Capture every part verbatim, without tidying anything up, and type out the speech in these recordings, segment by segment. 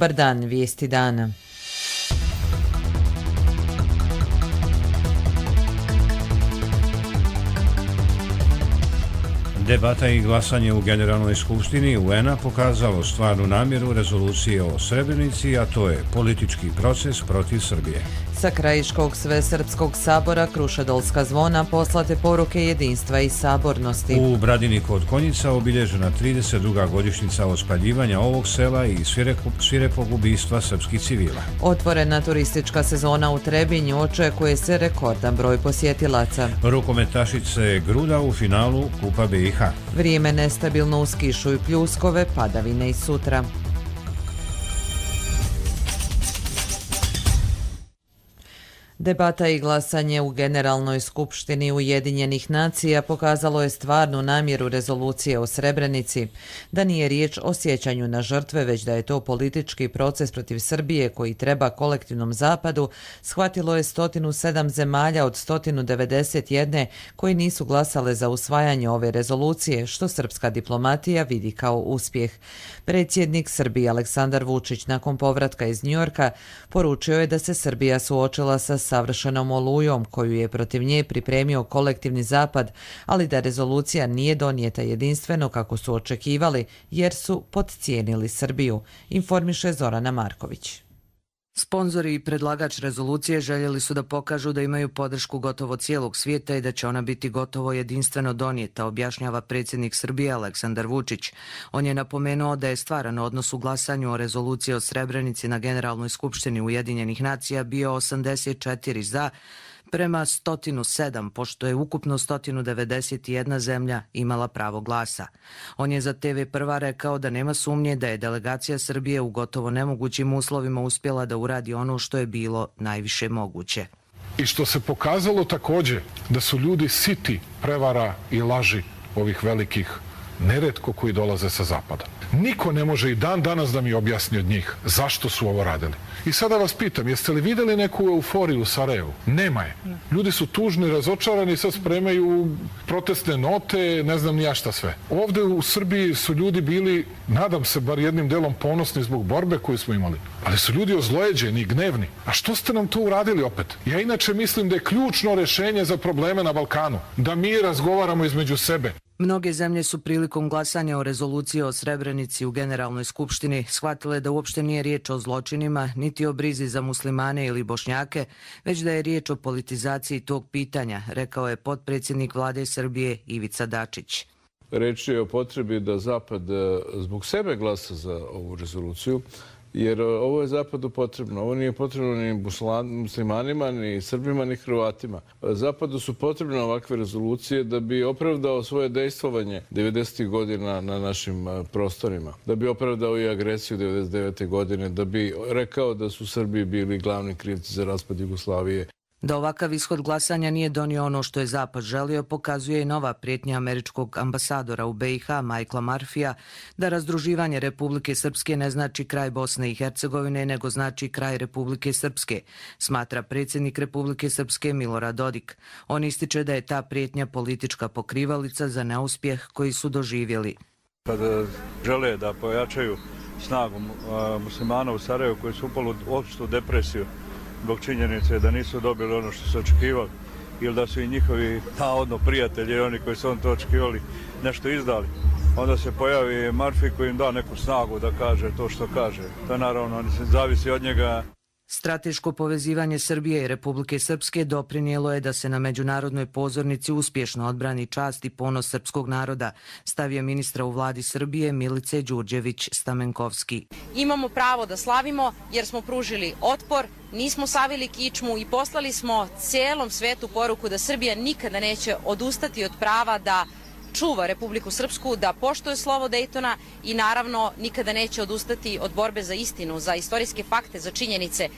Dobar dan, vijesti dana. Debata i glasanje u Generalnoj skupštini U N-a pokazalo stvarnu namjeru rezolucije o Srebrenici, a to je politički proces protiv Srbije. Sa krajiškog Svesrpskog sabora Krušedolska zvona poslate poruke jedinstva i sabornosti. U Bradini kod Konjica obilježena trideset druga godišnjica ospaljivanja ovog sela i svirepog ubistva srpskih civila. Otvorena turistička sezona u Trebinju, očekuje se rekordan broj posjetilaca. Rukometašice Gruda u finalu Kupa B i H. Vrijeme nestabilno uz kišu i pljuskove, padavine i sutra. Debata i glasanje u Generalnoj skupštini Ujedinjenih nacija pokazalo je stvarnu namjeru rezolucije o Srebrenici, da nije riječ o sjećanju na žrtve, već da je to politički proces protiv Srbije koji treba kolektivnom zapadu, shvatilo je sto sedam zemalja od sto devedeset jedan koji nisu glasale za usvajanje ove rezolucije, što srpska diplomatija vidi kao uspjeh. Predsjednik Srbije Aleksandar Vučić nakon povratka iz Njujorka poručio je da se Srbija suočila sa savršenom olujom koju je protiv nje pripremio kolektivni zapad, ali da rezolucija nije donijeta jedinstveno kako su očekivali jer su podcijenili Srbiju, informiše Zorana Marković. Sponzori i predlagač rezolucije željeli su da pokažu da imaju podršku gotovo cijelog svijeta i da će ona biti gotovo jedinstveno donijeta, objašnjava predsjednik Srbije Aleksandar Vučić. On je napomenuo da je stvaran odnos u glasanju o rezoluciji o Srebrenici na Generalnoj skupštini Ujedinjenih nacija bio osamdeset četiri za, prema sto sedam, pošto je ukupno sto devedeset jedna zemlja imala pravo glasa. On je za te ve Prva rekao da nema sumnje da je delegacija Srbije u gotovo nemogućim uslovima uspjela da uradi ono što je bilo najviše moguće. I što se pokazalo također da su ljudi siti prevara i laži ovih velikih, neretko koji dolaze sa zapada. Niko ne može i dan danas da mi objasni od njih zašto su ovo radili. I sada vas pitam, jeste li vidjeli neku euforiju u Sarajevu? Nema je. Ljudi su tužni, razočarani, sad spremaju protestne note, ne znam ni ja šta sve. Ovdje u Srbiji su ljudi bili, nadam se, bar jednim delom ponosni zbog borbe koju smo imali. Ali su ljudi ozlojeđeni, gnevni. A što ste nam to uradili opet? Ja inače mislim da je ključno rješenje za probleme na Balkanu. Da mi razgovaramo između sebe. Mnoge zemlje su prilikom glasanja o rezoluciji o Srebrenici u Generalnoj skupštini shvatile da uopšte nije riječ o zločinima, niti o brizi za muslimane ili Bošnjake, već da je riječ o politizaciji tog pitanja, rekao je potpredsjednik vlade Srbije Ivica Dačić. Reč je o potrebi da Zapad zbog sebe glasa za ovu rezoluciju, jer ovo je Zapadu potrebno. Ovo nije potrebno ni muslimanima, ni Srbima, ni Hrvatima. Zapadu su potrebne ovakve rezolucije da bi opravdao svoje dejstvovanje devedesetih godina na našim prostorima, da bi opravdao i agresiju devedeset devete godine, da bi rekao da su Srbi bili glavni krivci za raspad Jugoslavije. Da ovakav ishod glasanja nije donio ono što je Zapad želio, pokazuje i nova prijetnja američkog ambasadora u Be i Ha, Michaela Murphyja, da razdruživanje Republike Srpske ne znači kraj Bosne i Hercegovine, nego znači kraj Republike Srpske, smatra predsjednik Republike Srpske Milorad Dodik. On ističe da je ta prijetnja politička pokrivalica za neuspjeh koji su doživjeli. Kada žele da pojačaju snagu muslimana u Sarajevu koji su upali u opštu depresiju zbog činjenice da nisu dobili ono što su očekivali ili da su i njihovi navodno prijatelji i oni koji su on to očekivali nešto izdali, onda se pojavi Murphy koji im da neku snagu da kaže to što kaže. To naravno zavisi od njega. Strateško povezivanje Srbije i Republike Srpske doprinijelo je da se na međunarodnoj pozornici uspješno odbrani čast i ponos srpskog naroda, stavio ministra u vladi Srbije Milice Đurđević-Stamenkovski. Imamo pravo da slavimo jer smo pružili otpor, nismo savili kičmu i poslali smo cijelom svetu poruku da Srbija nikada neće odustati od prava da čuva Republiku Srpsku, da poštuje slovo Dejtona i naravno nikada neće odustati od borbe za istinu, za istorijske fakte, za činjenice.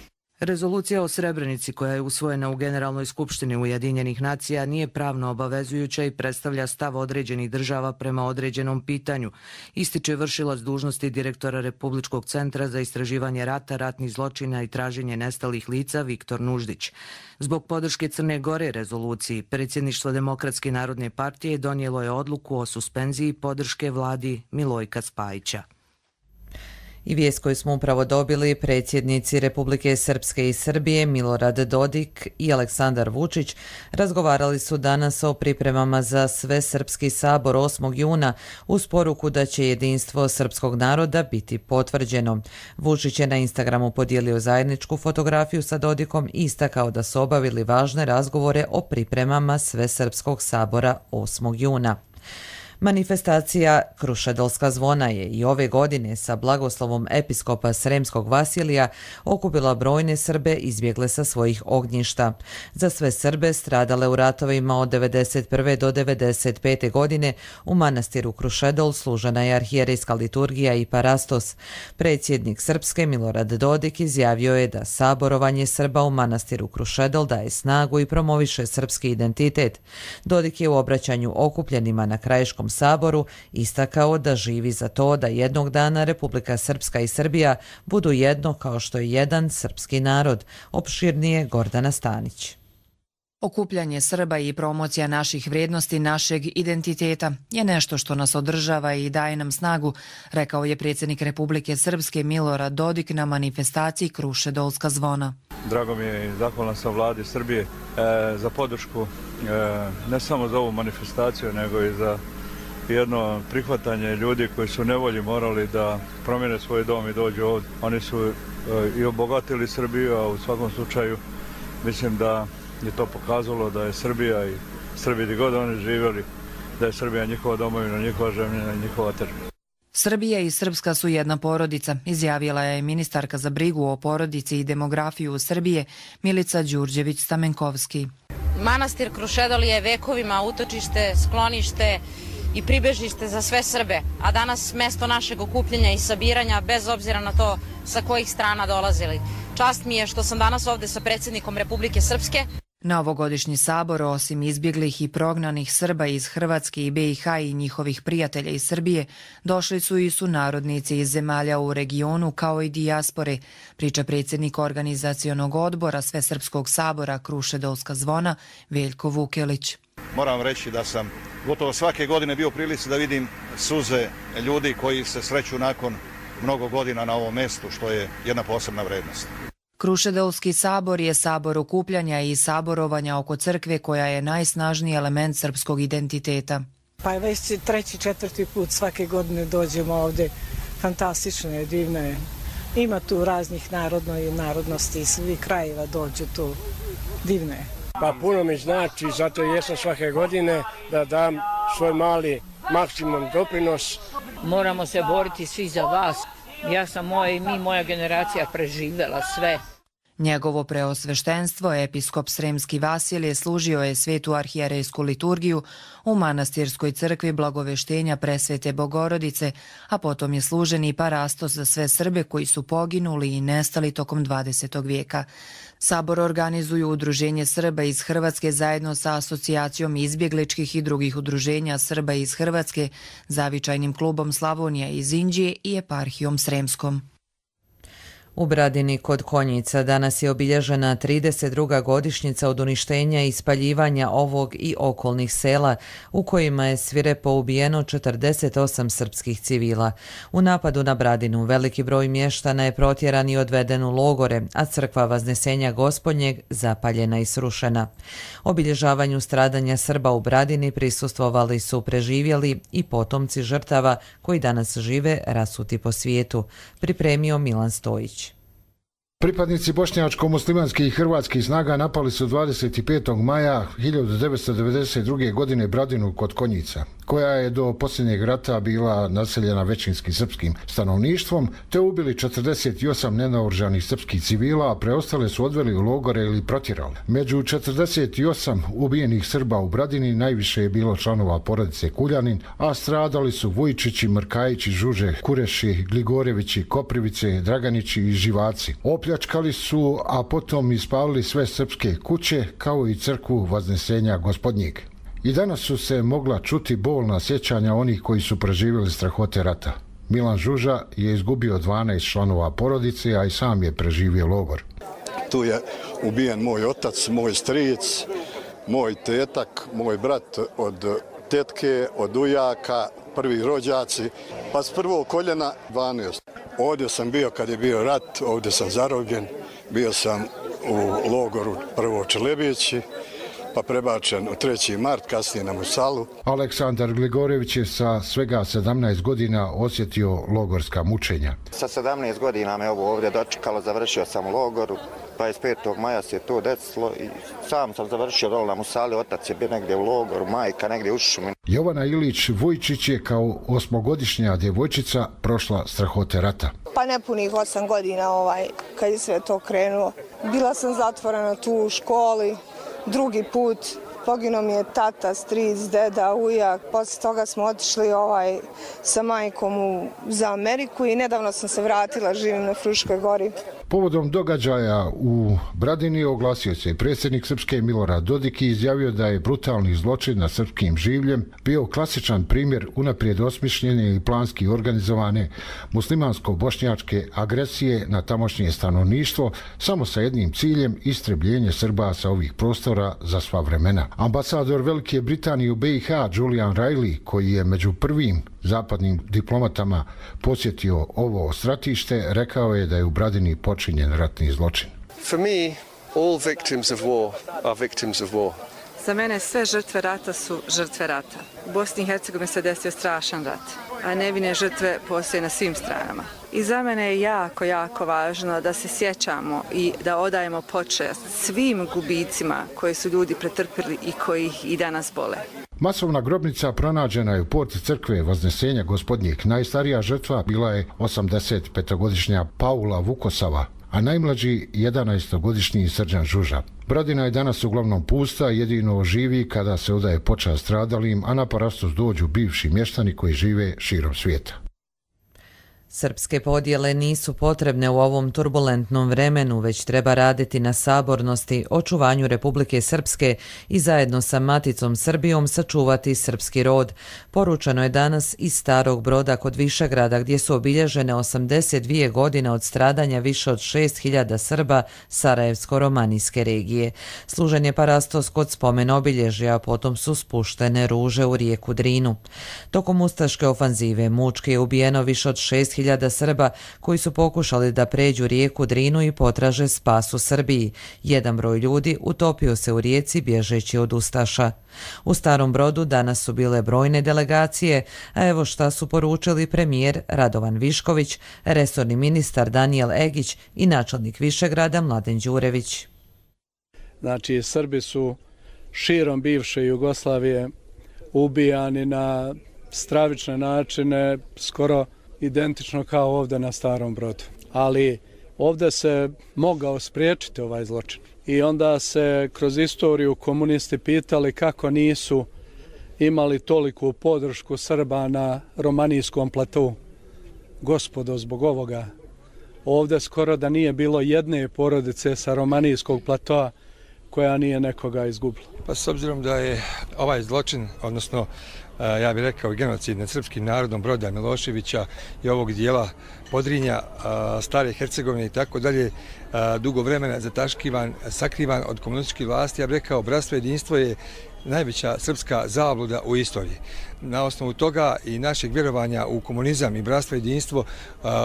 Rezolucija o Srebrenici koja je usvojena u Generalnoj skupštini Ujedinjenih nacija nije pravno obavezujuća i predstavlja stav određenih država prema određenom pitanju, ističe vršilac dužnosti direktora Republičkog centra za istraživanje rata, ratnih zločina i traženje nestalih lica Viktor Nuždić. Zbog podrške Crne Gore rezoluciji, predsjedništvo Demokratske narodne partije donijelo je odluku o suspenziji podrške vladi Milojka Spajića. I vijest koju smo upravo dobili, predsjednici Republike Srpske i Srbije Milorad Dodik i Aleksandar Vučić razgovarali su danas o pripremama za Svesrpski sabor osmog juna uz poruku da će jedinstvo srpskog naroda biti potvrđeno. Vučić je na Instagramu podijelio zajedničku fotografiju sa Dodikom i istakao da su obavili važne razgovore o pripremama Svesrpskog sabora osmog juna. Manifestacija Krušedolska zvona je i ove godine sa blagoslovom episkopa Sremskog Vasilija okupila brojne Srbe izbjegle sa svojih ognjišta. Za sve Srbe stradale u ratovima od devedeset prve do devedeset pete godine u manastiru Krušedol služena je arhijerejska liturgija i parastos. Predsjednik Srpske Milorad Dodik izjavio je da saborovanje Srba u manastiru Krušedol daje snagu i promoviše srpski identitet. Dodik je u obraćanju okupljenima na Krajiškom saboru istakao da živi za to da jednog dana Republika Srpska i Srbija budu jedno kao što je jedan srpski narod. Opširnije Gordana Stanić. Okupljanje Srba i promocija naših vrijednosti, našeg identiteta je nešto što nas održava i daje nam snagu, rekao je predsjednik Republike Srpske Milorad Dodik na manifestaciji Krušedolska zvona. Drago mi je i zahvalan sam vladi Srbije e, za podršku e, ne samo za ovu manifestaciju, nego i za jedno prihvatanje ljudi koji su u nevolji morali da promijene svoj dom i dođu ovdje. Oni su e, i obogatili Srbiju, a u svakom slučaju mislim da je to pokazalo da je Srbija i Srbi gdje god oni živjeli, da je Srbija njihova domovina, njihova zemlja i njihova težina. Srbija i Srpska su jedna porodica, izjavila je ministarka za brigu o porodici i demografiju Srbije Milica Đurđević-Stamenkovski. Manastir Krušedol je vekovima utočište, sklonište i pribežište za sve Srbe, a danas mesto našeg okupljanja i sabiranja bez obzira na to sa kojih strana dolazili. Čast mi je što sam danas ovdje sa predsjednikom Republike Srpske. Na ovogodišnji sabor, osim izbjeglih i prognanih Srba iz Hrvatske i be i ha i njihovih prijatelja iz Srbije, došli su i sunarodnici iz zemalja u regionu kao i dijaspore, priča predsjednik organizacionog odbora Svesrpskog sabora Krušedolska zvona Veljko Vukelić. Moram reći da sam gotovo svake godine bio u prilici da vidim suze ljudi koji se sreću nakon mnogo godina na ovom mjestu, što je jedna posebna vrednost. Krušedolski sabor je sabor okupljanja i saborovanja oko crkve koja je najsnažniji element srpskog identiteta. Pa je već treći, četvrti put svake godine dođemo ovdje. Fantastično je, divno je. Ima tu raznih narodno i narodnosti iz svih krajeva dođu tu. Divno je. Pa puno mi znači, zato jesam svake godine da dam svoj mali maksimum doprinos. Moramo se boriti svi za vas. Ja sam moja i mi, moja generacija preživjela sve. Njegovo preosveštenstvo, episkop Sremski Vasilije, služio je svetu arhijerejsku liturgiju u manastirskoj crkvi Blagoveštenja Presvete Bogorodice, a potom je služen i parastos za sve Srbe koji su poginuli i nestali tokom dvadesetog vijeka. Sabor organizuju Udruženje Srba iz Hrvatske zajedno sa Asocijacijom izbjegličkih i drugih udruženja Srba iz Hrvatske, Zavičajnim klubom Slavonija iz Inđije i eparhijom Sremskom. U Bradini kod Konjica danas je obilježena trideset druga godišnjica od uništenja i spaljivanja ovog i okolnih sela u kojima je svirepo ubijeno četrdeset osam srpskih civila. U napadu na Bradinu veliki broj mještana je protjeran i odveden u logore, a crkva Vaznesenja Gospodnjeg zapaljena i srušena. Obilježavanju stradanja Srba u Bradini prisustvovali su preživjeli i potomci žrtava koji danas žive rasuti po svijetu, pripremio Milan Stojić. Pripadnici bošnjačko-muslimanskih i hrvatskih snaga napali su dvadeset petog maja hiljadu devetsto devedeset druge. godine Bradinu kod Konjica, koja je do posljednjeg rata bila naseljena većinskim srpskim stanovništvom, te ubili četrdeset osam nenaoružanih srpskih civila, a preostale su odveli u logore ili protjerali. Među četrdeset osam ubijenih Srba u Bradini najviše je bilo članova porodice Kuljanin, a stradali su Vujčići, Mrkajići, Žuže, Kureši, Gligorevići, Koprivice, Draganići i Živaci. Opljačkali su, a potom ispalili sve srpske kuće, kao i crkvu Vaznesenja Gospodnjeg. I danas su se mogla čuti bolna sjećanja onih koji su preživjeli strahote rata. Milan Žuža je izgubio dvanaest članova porodice, a i sam je preživio logor. Tu je ubijen moj otac, moj stric, moj tetak, moj brat od tetke, od ujaka, prvi rođaci, pa s prvog koljena dvanaest. Ovdje sam bio kad je bio rat, ovdje sam zarobljen, bio sam u logoru prvo u Čelebići, pa prebačen u treći mart, kasnije na Musalu. Aleksandar Gligorević je sa svega sedamnaest godina osjetio logorska mučenja. Sa sedamnaest godina me ovo ovdje dočekalo, završio sam u logoru, dvadeset petog maja se to desilo i sam sam završio dole na Musali, otac je bio negdje u logoru, majka negdje u šumi. Jovana Ilić Vujčić je kao osmogodišnja djevojčica prošla strahote rata. Pa nepunih osam godina ovaj, kad je sve to krenulo. Bila sam zatvorena tu u školi, drugi put poginuo mi je tata, stric, deda, ujak. Posle toga smo otišli ovaj, sa majkom u, za Ameriku i nedavno sam se vratila, živim na Fruškoj gori. Povodom događaja u Bradini oglasio se predsjednik Srpske Milorad Dodik i izjavio da je brutalni zločin nad srpskim življem bio klasičan primjer unaprijed osmišljene i planski organizovane muslimansko-bošnjačke agresije na tamošnje stanovništvo samo sa jednim ciljem, istrebljenje Srba sa ovih prostora za sva vremena. Ambasador Velike Britanije u B i H Julian Riley, koji je među prvim zapadnim diplomatama posjetio ovo stratište, rekao je da je u Bradini počinjen ratni zločin. For me, all victims of war are victims of war. Za mene sve žrtve rata su žrtve rata. U Bosni i Hercegovini se desio strašan rat, a nevine žrtve postoje na svim stranama. I za mene je jako, jako važno da se sjećamo i da odajemo počast svim gubicima koje su ljudi pretrpili i koji ih i danas bole. Masovna grobnica pronađena je u porti crkve Vaznesenja Gospodnjeg. Najstarija žrtva bila je osamdesetpetogodišnja Paula Vukosava, a najmlađi jedanaestogodišnji Srđan Žuža. Bradina je danas uglavnom pusta, jedino živi kada se odaje počast stradalim, a na parastos dođu bivši mještani koji žive širom svijeta. Srpske podjele nisu potrebne u ovom turbulentnom vremenu, već treba raditi na sabornosti, očuvanju Republike Srpske i zajedno sa Maticom Srbijom sačuvati srpski rod. Poručeno je danas iz Starog Broda kod Višegrada, gdje su obilježene osamdeset dvije godine od stradanja više od šest hiljada Srba Sarajevsko-romanijske regije. Služen je parastos kod spomen obilježja, a potom su spuštene ruže u rijeku Drinu. Tokom ustaške ofanzive mučki je ubijeno više od šest hiljada Srba koji su pokušali da pređu rijeku Drinu i potraže spas u Srbiji. Jedan broj ljudi utopio se u rijeci bježeći od ustaša. U Starom Brodu danas su bile brojne delegacije, a evo šta su poručili premijer Radovan Višković, resorni ministar Danijel Egić i načelnik Višegrada Mladen Đurević. Znači, Srbi su širom bivše Jugoslavije ubijani na stravične načine, skoro identično kao ovdje na Starom Brodu. Ali ovdje se mogao spriječiti ovaj zločin. I onda se kroz istoriju komunisti pitali kako nisu imali toliku podršku Srba na romanijskom platu. Gospodo, zbog ovoga, ovdje skoro da nije bilo jedne porodice sa romanijskog platoa koja nije nekoga izgubila. Pa s obzirom da je ovaj zločin, odnosno ja bih rekao genocid nad srpskim narodom Broda Miloševića i ovog dijela Podrinja, Stare Hercegovine i tako dalje, dugo vremena zataškivan, sakrivan od komunističkih vlasti, ja bih rekao bratstvo i jedinstvo je najveća srpska zabluda u istoriji. Na osnovu toga i našeg vjerovanja u komunizam i bratstvo i jedinstvo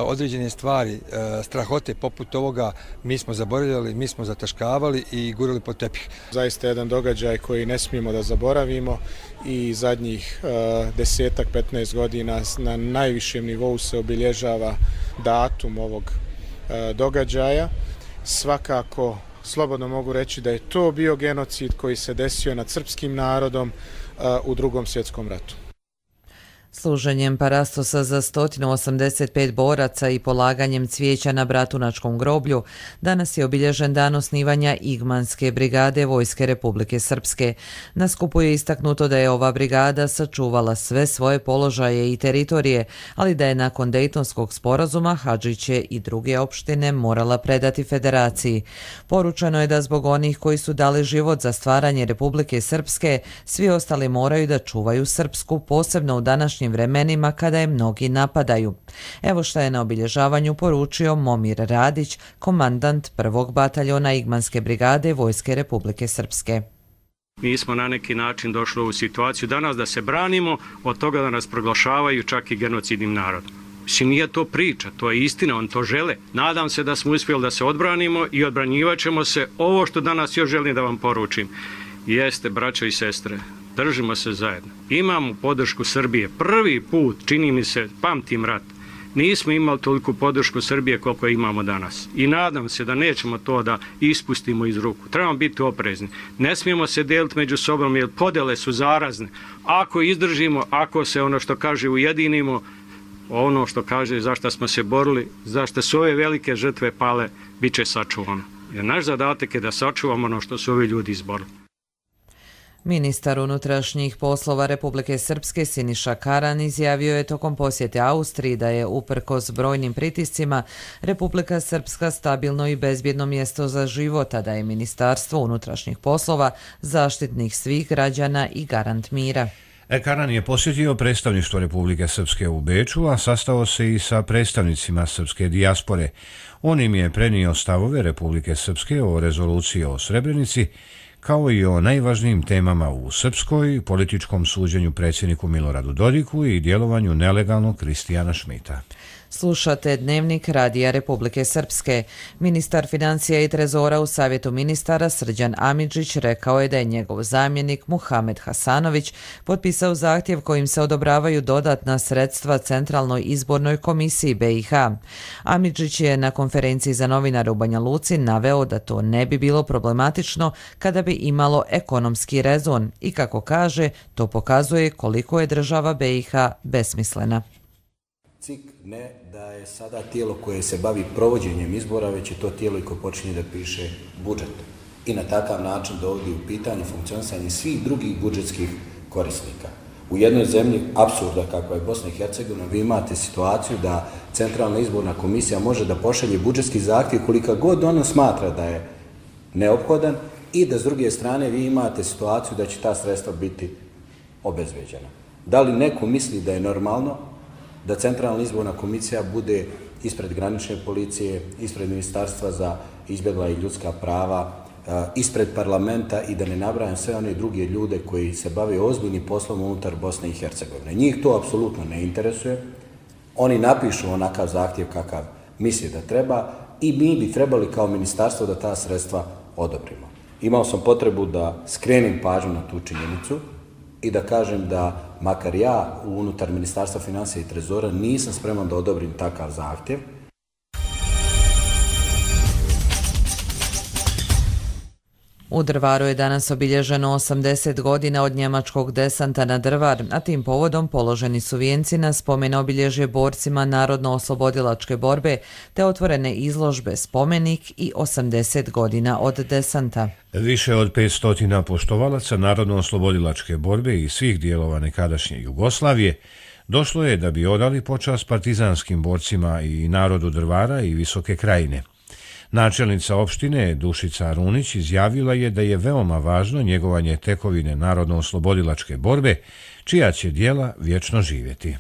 određene stvari, strahote poput ovoga mi smo zaboravljali, mi smo zataškavali i gurali pod tepih. Zaista jedan događaj koji ne smijemo da zaboravimo i zadnjih desetak, petnaest godina na najvišem nivou se obilježava datum ovog događaja. Svakako slobodno mogu reći da je to bio genocid koji se desio nad srpskim narodom u Drugom svjetskom ratu. Služenjem parastosa za sto osamdeset pet boraca i polaganjem cvijeća na Bratunačkom groblju danas je obilježen dan osnivanja Igmanske brigade Vojske Republike Srpske. Na skupu je istaknuto da je ova brigada sačuvala sve svoje položaje i teritorije, ali da je nakon Dejtonskog sporazuma Hadžiće i druge opštine morala predati federaciji. Poručeno je da zbog onih koji su dali život za stvaranje Republike Srpske, svi ostali moraju da čuvaju Srpsku, posebno u današnjim vremenima kada je mnogi napadaju. Evo šta je na obilježavanju poručio Momir Radić, komandant prvog bataljona Igmanske brigade Vojske Republike Srpske. Mi smo na neki način došli u ovu situaciju danas da se branimo od toga da nas proglašavaju čak i genocidnim narodom. Mislim, nije to priča, to je istina, on to žele. Nadam se da smo uspjeli da se odbranimo i odbranjivat ćemo se. Ovo što danas još želim da vam poručim jeste, braćo i sestre, držimo se zajedno. Imamo podršku Srbije. Prvi put, čini mi se, pamtim rat, nismo imali toliku podršku Srbije koliko imamo danas. I nadam se da nećemo to da ispustimo iz ruku. Trebamo biti oprezni. Ne smijemo se deliti među sobom jer podele su zarazne. Ako izdržimo, ako se ono što kaže ujedinimo, ono što kaže zašto smo se borili, zašto su ove velike žrtve pale, bit će sačuvano. Jer naš zadatak je da sačuvamo ono što su ovi ljudi izborili. Ministar unutrašnjih poslova Republike Srpske Siniša Karan izjavio je tokom posjete Austriji da je uprkos brojnim pritiscima Republika Srpska stabilno i bezbjedno mjesto za život, a da je Ministarstvo unutrašnjih poslova zaštitnik svih građana i garant mira. Karan je posjetio predstavništvo Republike Srpske u Beču, a sastao se i sa predstavnicima srpske dijaspore. On im je prenio stavove Republike Srpske o rezoluciji o Srebrenici, kao i o najvažnijim temama u srpskoj, političkom suđenju predsjedniku Miloradu Dodiku i djelovanju nelegalnog Kristijana Šmita. Slušate Dnevnik Radija Republike Srpske. Ministar financija i trezora u Savjetu ministara Srđan Amidžić rekao je da je njegov zamjenik Muhamed Hasanović potpisao zahtjev kojim se odobravaju dodatna sredstva Centralnoj izbornoj komisiji B i H. Amidžić je na konferenciji za novinare u Banja Luci naveo da to ne bi bilo problematično kada bi imalo ekonomski rezon i, kako kaže, to pokazuje koliko je država B i H besmislena. C I K ne da je sada tijelo koje se bavi provođenjem izbora, već je to tijelo i koje počinje da piše budžet. I na takav način dovodi u pitanje funkcionisanje svih drugih budžetskih korisnika. U jednoj zemlji apsurda kakva je Bosna i Hercegovina, vi imate situaciju da Centralna izborna komisija može da pošalje budžetski zahtjev kolika god ona smatra da je neophodan i da s druge strane vi imate situaciju da će ta sredstva biti obezbeđena. Da li neko misli da je normalno da Centralna izborna komisija bude ispred granične policije, ispred Ministarstva za izbjegla i ljudska prava, ispred parlamenta i da ne nabrajam sve one druge ljude koji se bave ozbiljnim poslom unutar Bosne i Hercegovine. Njih to apsolutno ne interesuje. Oni napišu onakav zahtjev kakav misli da treba i mi bi trebali kao ministarstvo da ta sredstva odobrimo. Imao sam potrebu da skrenem pažnju na tu činjenicu i da kažem da makar ja unutar Ministarstva financija i trezora nisam spreman da odobrim takav zahtjev. U Drvaru je danas obilježeno osamdeset godina od njemačkog desanta na Drvar, a tim povodom položeni su vijenci na spomen obilježje borcima Narodno-oslobodilačke borbe, te otvorene izložbe Spomenik i osamdeset godina od desanta. Više od petsto poštovalaca Narodno-oslobodilačke borbe i svih dijelova nekadašnje Jugoslavije došlo je da bi odali počast partizanskim borcima i narodu Drvara i Visoke Krajine. Načelnica opštine Dušica Runić izjavila je da je veoma važno njegovanje tekovine Narodno-oslobodilačke borbe, čija će djela vječno živjeti.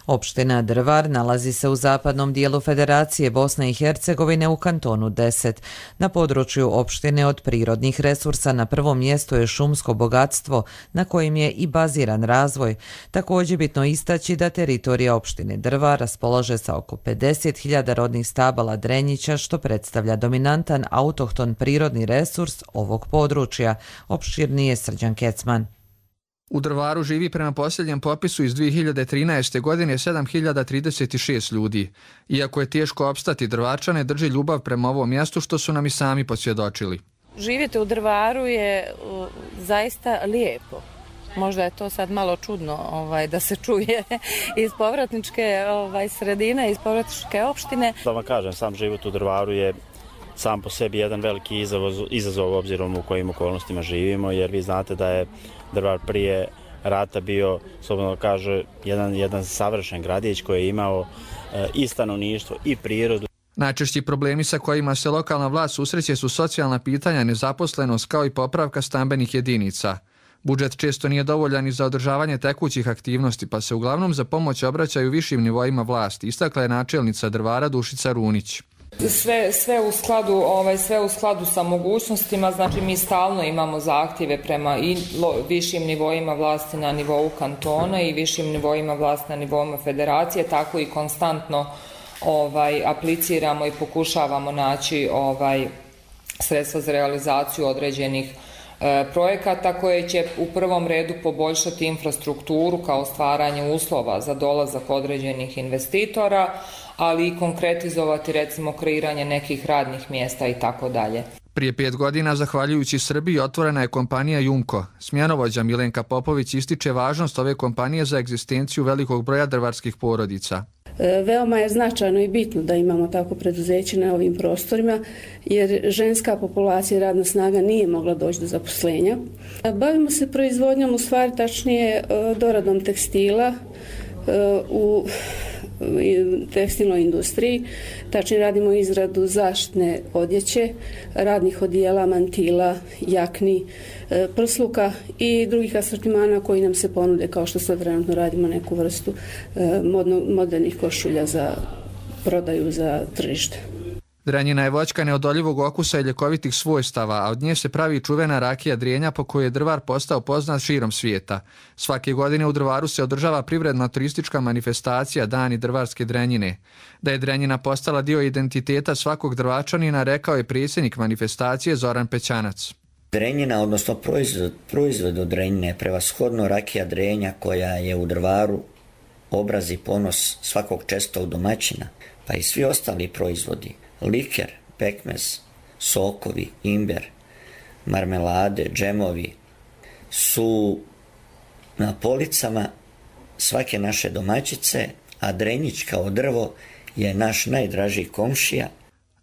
Opština Drvar nalazi se u zapadnom dijelu Federacije Bosne i Hercegovine u kantonu deset. Na području opštine od prirodnih resursa na prvom mjestu je šumsko bogatstvo na kojim je i baziran razvoj. Također bitno istaći da teritorija opštine Drvar raspolaže sa oko pedeset hiljada rodnih stabala drenjića, što predstavlja dominantan autohton prirodni resurs ovog područja. Opširnije Srđan Kecman. U Drvaru živi prema posljednjem popisu iz dvije hiljade trinaeste. godine sedam hiljada trideset šest ljudi. Iako je teško opstati, Drvarčane drži ljubav prema ovom mjestu, što su nam i sami posvjedočili. Živjeti u Drvaru je uh, zaista lijepo. Možda je to sad malo čudno ovaj, da se čuje iz povratničke ovaj, sredine, iz povratničke opštine. Da vam kažem, sam život u Drvaru je sam po sebi jedan veliki izazov, izazov obzirom u kojim okolnostima živimo, jer vi znate da je Drvar prije rata bio, slobodno kaže, jedan, jedan savršen gradić koji je imao e, i stanovništvo i prirodu. Najčešći problemi sa kojima se lokalna vlast susreće su socijalna pitanja, nezaposlenost kao i popravka stambenih jedinica. Budžet često nije dovoljan i za održavanje tekućih aktivnosti, pa se uglavnom za pomoć obraćaju višim nivoima vlasti, istakla je načelnica Drvara Dušica Runić. Sve, sve u skladu, ovaj, sve u skladu sa mogućnostima, znači mi stalno imamo zahtjeve prema i lo, višim nivoima vlasti na nivou kantona i višim nivoima vlasti na nivou federacije, tako i konstantno ovaj, apliciramo i pokušavamo naći ovaj, sredstva za realizaciju određenih e, projekata koje će u prvom redu poboljšati infrastrukturu kao stvaranje uslova za dolazak određenih investitora, ali i konkretizovati recimo kreiranje nekih radnih mjesta i tako dalje. Prije pet godina, zahvaljujući Srbiji, otvorena je kompanija Jumko. Smjenovođa Milenka Popović ističe važnost ove kompanije za egzistenciju velikog broja drvarskih porodica. Veoma je značajno i bitno da imamo tako preduzeće na ovim prostorima, jer ženska populacija i radna snaga nije mogla doći do zaposlenja. Bavimo se proizvodnjom, u stvari tačnije doradom tekstila u tekstilnoj industriji, tačnije radimo izradu zaštitne odjeće, radnih odijela, mantila, jakni, prsluka i drugih asortimana koji nam se ponude, kao što sad trenutno radimo neku vrstu modno, modernih košulja za prodaju za tržište. Drenjina je voćka neodoljivog okusa i ljekovitih svojstava, a od nje se pravi čuvena rakija Drenja po kojoj je Drvar postao poznat širom svijeta. Svake godine u Drvaru se održava privredna turistička manifestacija Dani drvarske Drenjine. Da je Drenjina postala dio identiteta svakog Drvačanina, rekao je predsjednik manifestacije Zoran Pećanac. Drenjina, odnosno proizvod, proizvod od Drenjine je prevashodno rakija Drenja koja je u Drvaru obraz i ponos svakog čestog domaćina, pa i svi ostali proizvodi. Liker, pekmez, sokovi, imber, marmelade, džemovi su na policama svake naše domaćice, a Drenjić kao drvo je naš najdražiji komšija.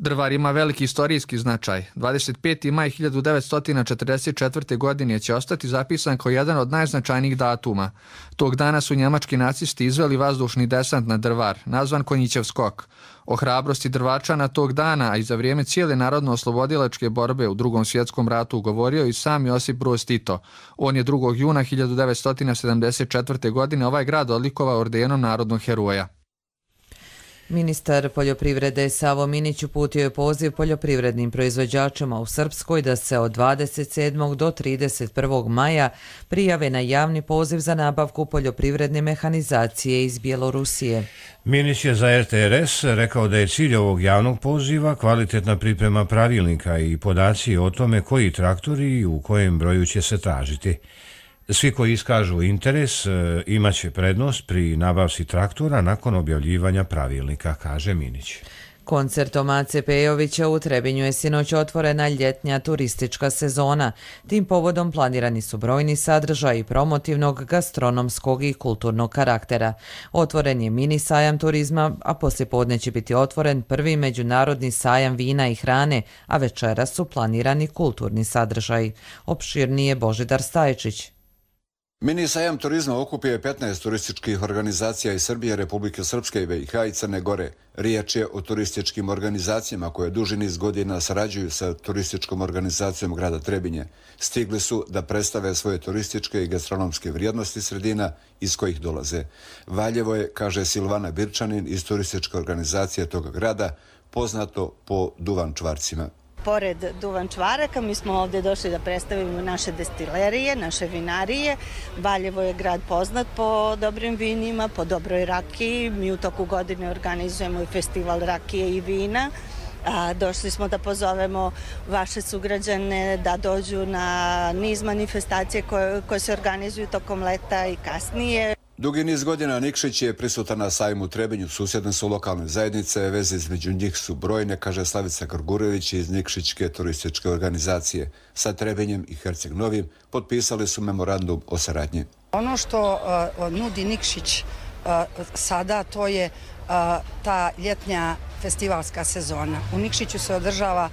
Drvar ima veliki istorijski značaj. dvadeset peti maj hiljadu devetsto četrdeset četvrte. godine će ostati zapisan kao jedan od najznačajnijih datuma. Tog dana su njemački nacisti izveli vazdušni desant na Drvar, nazvan Konjićev skok. O hrabrosti Drvačana tog dana, a i za vrijeme cijele narodno-oslobodilačke borbe u Drugom svjetskom ratu govorio i sam Josip Broz Tito. On je drugog juna hiljadu devetsto sedamdeset četvrte. godine ovaj grad odlikovao ordenom narodnog heroja. Ministar poljoprivrede Savo Minić uputio je poziv poljoprivrednim proizvođačima u Srpskoj da se od dvadeset sedmog do trideset prvog maja prijave na javni poziv za nabavku poljoprivredne mehanizacije iz Bjelorusije. Minić je za R T R S rekao da je cilj ovog javnog poziva kvalitetna priprema pravilnika i podaci o tome koji traktori i u kojem broju će se tražiti. Svi koji iskažu interes imaće prednost pri nabavci traktora nakon objavljivanja pravilnika, kaže Minić. Koncertom Ace Pejovića u Trebinju je sinoć otvorena ljetnja turistička sezona. Tim povodom planirani su brojni sadržaji promotivnog, gastronomskog i kulturnog karaktera. Otvoren je mini sajam turizma, a poslijepodne će biti otvoren prvi međunarodni sajam vina i hrane, a večeras su planirani kulturni sadržaji. Opširnije Božidar Stajčić. Mini sajam turizma okupio petnaest turističkih organizacija iz Srbije, Republike Srpske, B i H i Crne Gore. Riječ je o turističkim organizacijama koje duži niz godina sarađuju sa turističkom organizacijom grada Trebinje. Stigli su da predstave svoje turističke i gastronomske vrijednosti sredina iz kojih dolaze. Valjevo je, kaže Silvana Birčanin iz turističke organizacije toga grada, poznato po duvan čvarcima. Pored duvan čvaraka, mi smo ovdje došli da predstavimo naše destilerije, naše vinarije. Valjevo je grad poznat po dobrim vinima, po dobroj rakiji. Mi u toku godine organizujemo i festival rakije i vina. A, došli smo da pozovemo vaše sugrađane da dođu na niz manifestacije koje, koje se organizuju tokom leta i kasnije. Dugi niz godina Nikšić je prisutan na sajmu u Trebinju, susjedne su lokalne zajednice, veze između njih su brojne, kaže Slavica Grgurević iz Nikšićke turističke organizacije. Sa Trebinjem i Herceg Novim potpisali su memorandum o saradnji. Ono što uh, nudi Nikšić uh, sada, to je uh, ta ljetnja festivalska sezona. U Nikšiću se održava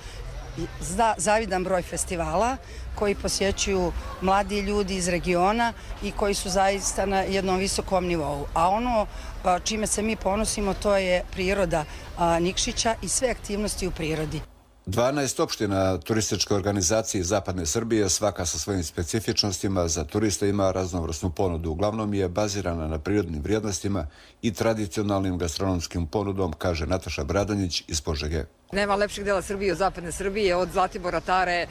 zavidan broj festivala koji posjećuju mladi ljudi iz regiona i koji su zaista na jednom visokom nivou. A ono čime se mi ponosimo, to je priroda Nikšića i sve aktivnosti u prirodi. dvanaest opština turističke organizacije Zapadne Srbije, svaka sa svojim specifičnostima, za turiste ima raznovrsnu ponudu. Uglavnom je bazirana na prirodnim vrijednostima i tradicionalnim gastronomskim ponudom, kaže Nataša Bradonjić iz Požege. Nema lepšeg dela Srbije od zapadne Srbije, od Zlatibora, Tare,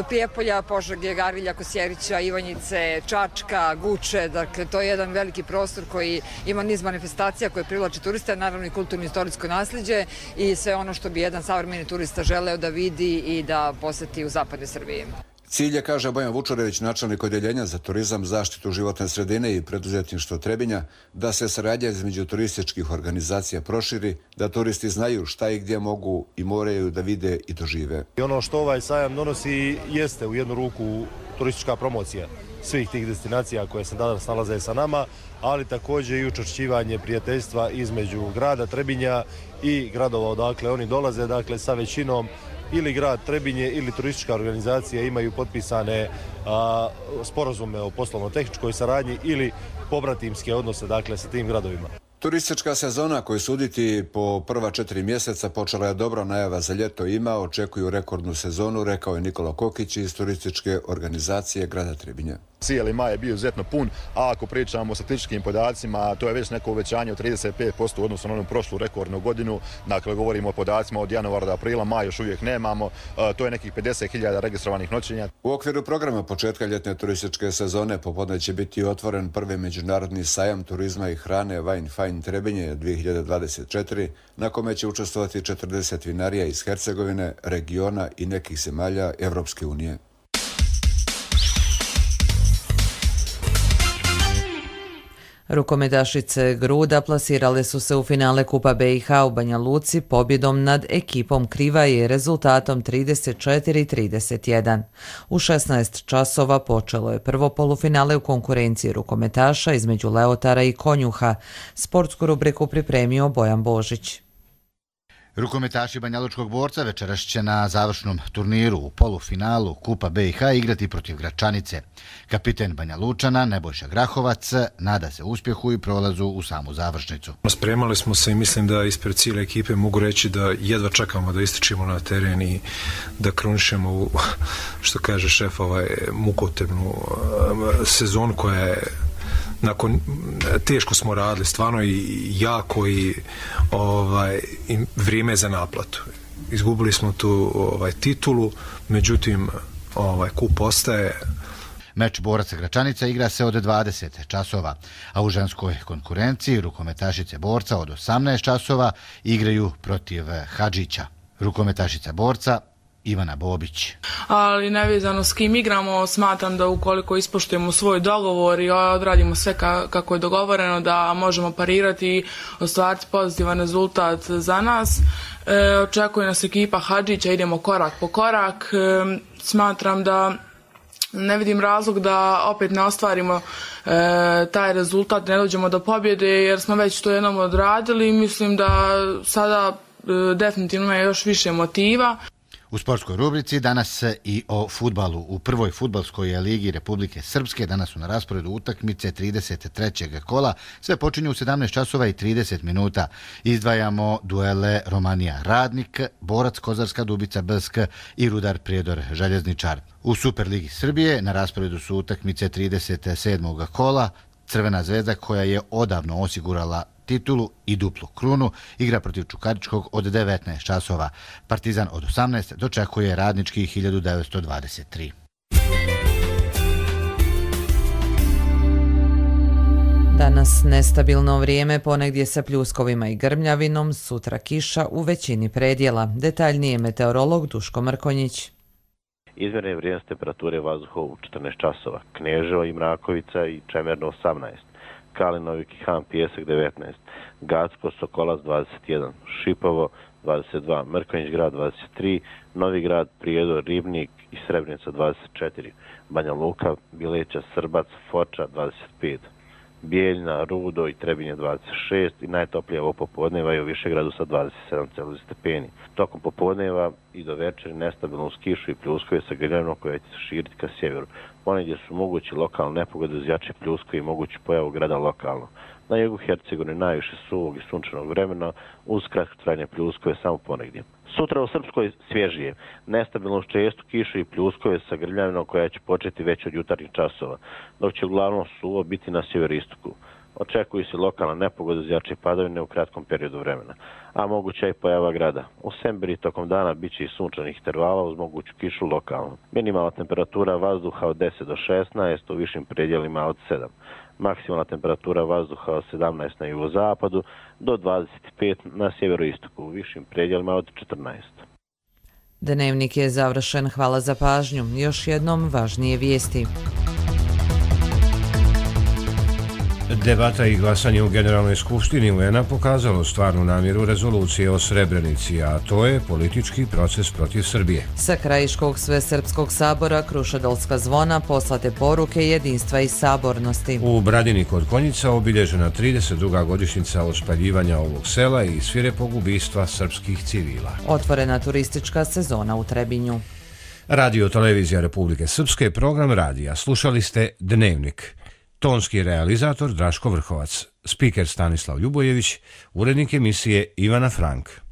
Prijepolja, Požege, Garilja, Kosjerića, Ivanjice, Čačka, Guče. Dakle, to je jedan veliki prostor koji ima niz manifestacija koje privlače turiste, naravno i kulturno istorijsko nasljeđe i sve ono što bi jedan savremeni turista želeo da vidi i da poseti u zapadnoj Srbiji. Cilj je, kaže Bojan Vučurević, načelnik odjeljenja za turizam, zaštitu životne sredine i preduzetništvo Trebinja, da se saradnja između turističkih organizacija proširi, da turisti znaju šta i gdje mogu i moraju da vide i dožive. I ono što ovaj sajam donosi jeste u jednu ruku turistička promocija svih tih destinacija koje se danas nalaze sa nama, ali također i učvršćivanje prijateljstva između grada Trebinja i gradova odakle oni dolaze, dakle sa većinom ili grad Trebinje ili turistička organizacija imaju potpisane a, sporazume o poslovno-tehničkoj saradnji ili pobratimske odnose, dakle, sa tim gradovima. Turistička sezona koju suditi po prva četiri mjeseca počela je dobro, najava za ljeto ima, očekuju rekordnu sezonu, rekao je Nikola Kokić iz turističke organizacije grada Trebinja. Cijeli maj je bio izuzetno pun, a ako pričamo o statističkim podacima, to je već neko uvećanje od trideset pet posto u odnosu na onu prošlu rekordnu godinu. Dakle, govorimo o podacima od januara do aprila, maj još uvijek nemamo, to je nekih pedeset hiljada registrovanih noćenja. U okviru programa početka ljetne turističke sezone popodne će biti otvoren prvi međunarodni sajam turizma i hrane Wine Fine Trebinje dvije hiljade dvadeset četiri, na kome će učestvovati četrdeset vinarija iz Hercegovine, regiona i nekih zemalja Evropske unije. Rukometašice Gruda plasirale su se u finale Kupa B i H u Banja Luci pobjedom nad ekipom Krivaje rezultatom trideset četiri trideset jedan. U šesnaest časova počelo je prvo polufinale u konkurenciji rukometaša između Leotara i Konjuha. Sportsku rubriku pripremio Bojan Božić. Rukometaši Banjalučkog Borca večeras će na završnom turniru u polufinalu Kupa B i H igrati protiv Gračanice. Kapiten Banja Lučana Nebojša Grahovac nada se uspjehu i prolazu u samu završnicu. Spremali smo se i mislim da ispred cijele ekipe mogu reći da jedva čekamo da ističimo na teren i da krunišemo u, što kaže šef, ovaj mukotrpnu sezonu koja je nakon, teško smo radili, stvarno i jako i ovaj, i vrijeme je za naplatu. Izgubili smo tu ovaj, titulu, međutim ovaj, kup ostaje. Meč Boraca Gračanica igra se od dvadeset časova, a u ženskoj konkurenciji rukometašice Borca od osamnaest časova igraju protiv Hadžića. Rukometašica Borca Ivana Bobić. Ali nevezano s kim igramo, smatram da ukoliko ispoštujemo svoj dogovor i odradimo sve kako je dogovoreno, da možemo parirati i ostvariti pozitivan rezultat za nas. E, očekuje nas ekipa Hadžića, idemo korak po korak. E, smatram da ne vidim razlog da opet ne ostvarimo e, taj rezultat, ne dođemo do pobjede jer smo već to jednom odradili i mislim da sada e, definitivno ima još više motiva. U sportskoj rubrici danas i o fudbalu. U prvoj fudbalskoj ligi Republike Srpske danas su na rasporedu utakmice trideset trećeg kola. Sve počinju u sedamnaest časova i trideset minuta. Izdvajamo duele Romanija Radnik, Borac Kozarska Dubica B S K i Rudar Prijedor Željezničar. U Superligi Srbije na rasporedu su utakmice trideset sedmog kola. Crvena zvezda koja je odavno osigurala titulu i duplu krunu igra protiv Čukaričkog od devetnaest časova. Partizan od osamnaest dočekuje Radnički hiljadu devetsto dvadeset tri. Danas nestabilno vrijeme, ponegdje sa pljuskovima i grmljavinom, sutra kiša u većini predjela. Detaljnije meteorolog Duško Mrkonjić. Izmjerne vrijednost temperature vazduha u četrnaest časova. Kneževo i Mrakovica i Čemerno osamnaest. Kalinovik i Han Pijesak devetnaest, Gacko, Sokolac dvadeset jedan, Šipovo dvadeset dva, Mrkonjić grad dvadeset tri, Novi grad, Prijedor, Ribnik i Srebrenica dvadeset četiri, Banja Luka, Bileća, Srbac, Foča dvadeset pet, Bijeljna, Rudo i Trebinje dvadeset šest i najtoplije ovo popodneva je u Višegradu sa dvadeset sedam stepeni. Tokom popodneva i do večeri nestabilno uz kišu i pljuskove sa grmljavinom koja će se širiti ka sjeveru. Ponegdje su mogući lokalne nepogode uz jače pljuskove i mogući pojavu grada lokalno. Na jugu Hercegovine najviše suvog i sunčanog vremena uz kratko trajanje pljuskove samo ponegdje. Sutra u Srpskoj svježije, nestabilno uz čestu kišu i pljuskove sa grmljavinom koja će početi već od jutarnjih časova, dok će uglavnom suvo biti na sjeveroistoku. Očekuju se lokalna nepogoda uz jače padavine u kratkom periodu vremena, a moguća i pojava grada. U Sembiri tokom dana bit će i sunčanih intervala uz moguću kišu lokalno. Minimalna temperatura vazduha od deset do šesnaest, u višim predjelima od sedam. Maksimalna temperatura vazduha od sedamnaest na jugozapadu do dvadeset pet na sjeveroistoku, u višim predjelima od četrnaest. Dnevnik je završen. Hvala za pažnju. Još jednom važnije vijesti. Debata i glasanje u Generalnoj skupštini U N-a pokazalo stvarnu namjeru rezolucije o Srebrenici, a to je politički proces protiv Srbije. Sa Krajiškog svesrpskog sabora Krušedolska zvona poslate poruke jedinstva i sabornosti. U Bradini kod Konjica obilježena trideset druga godišnjica ospaljivanja ovog sela i svirepog ubistva srpskih civila. Otvorena turistička sezona u Trebinju. Radio Televizija Republike Srpske, program radija. Slušali ste Dnevnik. Tonski realizator Draško Vrhovac, spiker Stanislav Ljubojević, urednik emisije Ivana Frank.